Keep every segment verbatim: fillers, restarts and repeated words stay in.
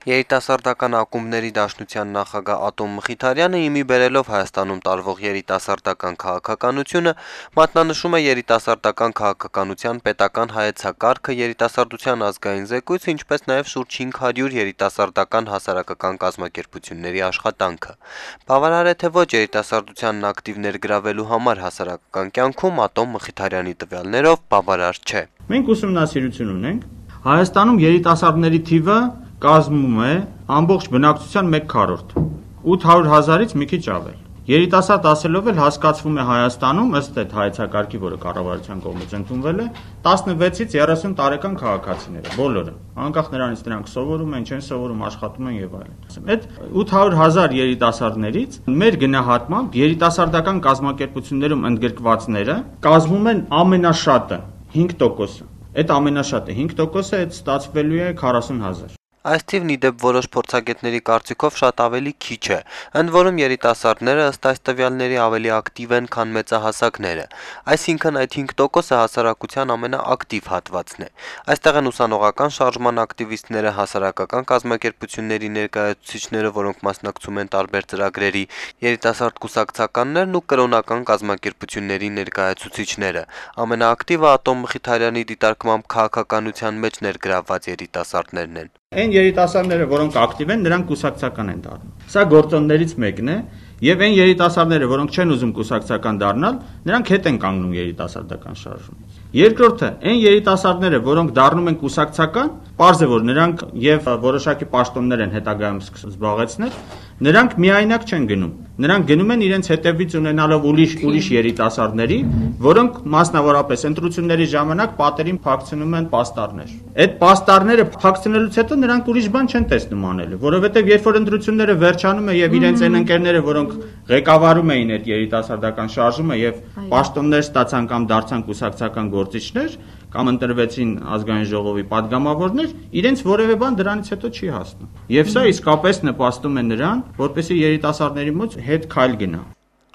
Երիտասարդական ակումբների դաշնության նախագահ Ատոմ Մխիթարյանը իմի բերելով Հայաստանում տարվող երիտասարդական քաղաքականությունը մատնանշում է երիտասարդական քաղաքականության պետական հայեցակարգը, երիտասարդության ազգային զեկույցը, ինչպես նաև շուրջ հինգ հարյուր երիտասարդական հասարակական կազմակերպությունների աշխատանքը։ Բավարար է թե ոչ երիտասարդությանն ակտիվ ներգրավելու համար հասարակական կյանքում Ատոմ Մխիթարյանի տվյալներով բավարար չէ։ Մենք ուսումնասիրություն ունենք, Հայաստանում երիտասարդների թիվը կազմում է ամբողջ բնակչության մեկ քառորդ, ութ հարյուր հազարից մի քիչ ավել։ Երիտասարդ ասելով էլ հասկացվում է Հայաստանում ըստ այդ հայեցակարգի, որը կառավարության կողմից ընդունվել է, տասնվեցից երեսուն տարեկան քաղաքացիները, բոլորը, անկախ նրանից նրանք սովորում են, չեն սովորում, աշխատում են եւ այլն։ Այդ ութ հարյուր հազար երիտասարդներից մեր գնահատմամբ երիտասարդական կազմակերպություններում ընդգրկվածները կազմում են ամենաշատը հինգ տոկոսը։ Այդ ամենաշատը հինգ տոկոսը այդ ստացվելու է քառասուն հազար։ Այս թիվն ի դեպ որոշ փորձագետների կարծիքով շատ ավելի քիչ է, ընդ որում երիտասարդները ըստ այս տվյալների ավելի ակտիվ են, քան մեծահասակները, այսինքն այդ հինգ տոկոսը հասարակության ամենաակտիվ հատվածն է։ Այստեղ են ուսանողական շարժման ակտիվիստները, հասարակական կազմակերպությունների ներկայացուցիչները, որոնք մասնակցում են տարբեր ծրագրերի, երիտասարդ կուսակցականներն ու կրոնական կազմակերպությունների ներկայացուցիչները։ Ամենաակտիվը Ատոմ Մխիթարյանի դիտարկմամբ քաղաքականության մեջ ներգրավված երիտասարդներն են։ Այն երիտասարդները, որոնք ակտիվ են, նրանք կուսակցական են դառնում։ Սա գործոններից մեկն է, եւ այն երիտասարդները, որոնք չեն ուզում կուսակցական դառնալ, նրանք հետ են կանգնում երիտասարդական շարժումից։ Երկրորդը, այն երիտասարդները, որոնք դառնում են կուսակցական, պարզ է, որ նրանք եւ որոշակի պաշտոններ են հետագայում զբաղեցնել, նրանք միայնակ չեն գնում։ Նրանք գնում են իրենց հետևից ունենալով ուրիշ ուրիշ երիտասարդների, որոնք մասնավորապես ընտրությունների ժամանակ պատերին փակցնում են պաստառներ։ Այդ պաստառները փակցնելուց հետո նրանք ուրիշ բան չեն տեսնում անելու, որովհետև երբ որ ընտրությունները վերջանում են եւ իրենց այն ընկերները, որոնք ղեկավարում էին այդ երիտասարդական շարժումը եւ պաշտոններ ստացան կամ դարձան կուսակցական գործիչներ կամ ընտրվեցին ազգային ժողովի падգամավորներ, իրենց որևէ բան դրանից հետո չի հասնում։ Եվ սա իսկապես նպաստում է նրան, որպեսզի երիտասարդների մոտ հետ քայլ գնա։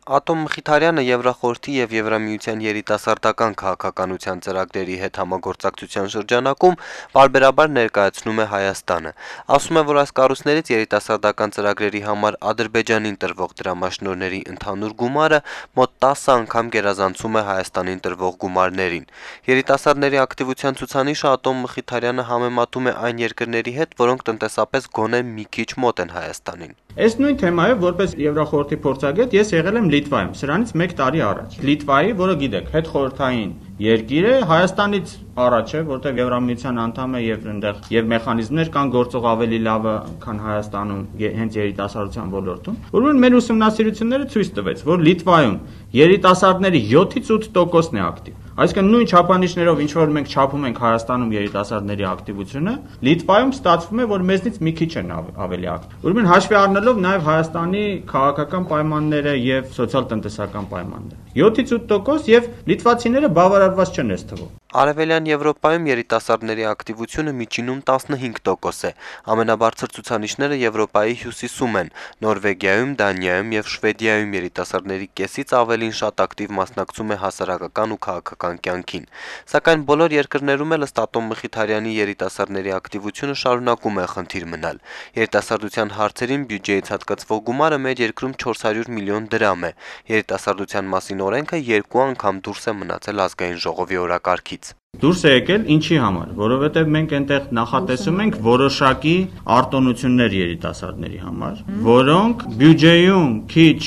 Ատոմ Մխիթարյանը Եվրախորհրդի եւ Եվրամիության երիտասարդական քաղաքականության ծրագրերի հետ համագործակցության շրջանակում բարբերաբար ներկայացնում է Հայաստանը։ Ասում է, որ այս կառույցներից երիտասարդական ծրագրերի համար Ադրբեջանին տրվող դրամաշնորհների ընդհանուր գումարը մոտ տասը անգամ գերազանցում է Հայաստանին տրվող գումարներին։ Երիտասարդների ակտիվության ցուցանիշը Ատոմ Մխիթարյանը համեմատում է այն երկրների հետ, որոնք տնտեսապես գոնե մի քիչ մոտ են Հայաստանին։ Այս նույն թեմայով որպես Եվրախորհրդի փորձագետ ես եղել եմ Լիտվայում, սրանից մեկ տարի առաջ։ Լիտվայի, որը գիտեք, հետխորհրդային երկիր է, Հայաստանից առաջ է, որտեղ Եվրամիության անդամ է եւ այնտեղ եւ մեխանիզմներ կան գործող ավելի լավը, քան Հայաստանում հենց երիտասարդության ոլորտում։ Ուրեմն մեր ուսումնասիրությունները ցույց տվեց, որ Լիտվայում երիտասարդների յոթից ութ տոկոսն է ակտիվ։ Այսինքն նույն չափանիշներով ինչ որ մենք չափում ենք Հայաստանում երիտասարդների ակտիվությունը, Լիտվայում ստացվում է, որ մեզնից մի քիչ են ավելի ակտիվ։ Ուրեմն հաշվի առնելով նաև Հայաստանի քաղաքական պայմանները եւ սոցիալ-տնտեսական պայմանները։ յոթից ութ տոկոս եւ լիտվացիները բավարարված չեն այս թվով։ Արևելյան Եվրոպայում երիտասարդների ակտիվությունը միջինում տասնհինգ տոկոս է։ Ամենաբարձր ցուցանիշները Եվրոպայի հյուսիսում են։ Նորվեգիայում, Դանիայում եւ Շվեդիայում երիտասարդների կեսից ավելին շատ ակտիվ մասնակցում է հասարակական ու քաղաքական կյանքին։ Սակայն բոլոր երկրներում էլ ըստ Ատոմ Մխիթարյանի երիտասարդների ակտիվությունը շարունակում է խնդիր մնալ։ Երիտասարդության հարցերին բյուջեից հատկացվող գումարը մեր երկրում չորս հարյուր միլիոն դրամ է։ Երիտասարդության մասին օրենքը երկու անգամ դուրս է մնացել ազգային ժողովի օրակարգից։ Դուրս է եկել ինչի համար, որովհետև մենք այնտեղ նախատեսում ենք որոշակի արտոնություններ երիտասարդների համար, որոնք բյուջեում քիչ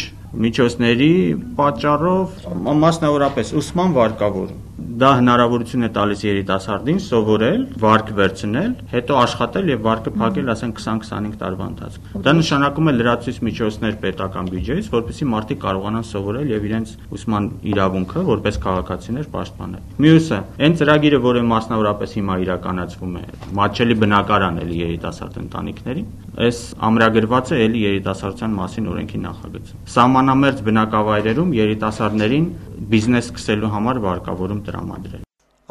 միջոցների պատճառով մասնավորապես ուսման վարկավորում։ Դա հնարավորություն է տալիս երիտասարդին սովորել, վարկ վերցնել, հետո աշխատել եւ վարկը փակել, ասենք քսան քսանհինգ տարվա ընթացքում։ Դա նշանակում է լրացուցիչ միջոցներ պետական բյուջեից, որպեսզի մարդիկ կարողանան սովորել եւ իրենց ուսման իրավունքը որպես քաղաքացիներ պաշտպանել։ Մյուսը, այն ծրագիրը, որը մասնավորապես հիմա իրականացվում է, մատչելի բնակարան էլի երիտասարդ ընտանիքներին, այս ամրագրված է էլի երիտասարդության մասին օրենքի նախագծում։ Սահմանամերձ բնակավայրերում երիտասարդներին բիզնես սկսելու համար վարկավորում տրամադրել։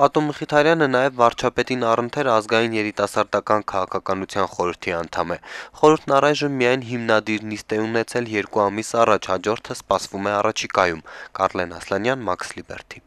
Ատոմ Մխիթարյանը նաև վարչապետին առընթեր ազգային երիտասարդական քաղաքականության խորհրդի անդամ է։ Խորհուրդն առայժմ միայն հիմնադիր նիստ է ունեցել երկու ամիս առաջ, հաջորդը սպասվում է առաջիկայում։ Կարլեն Ասլանյան, Մաքս Լիբերթի։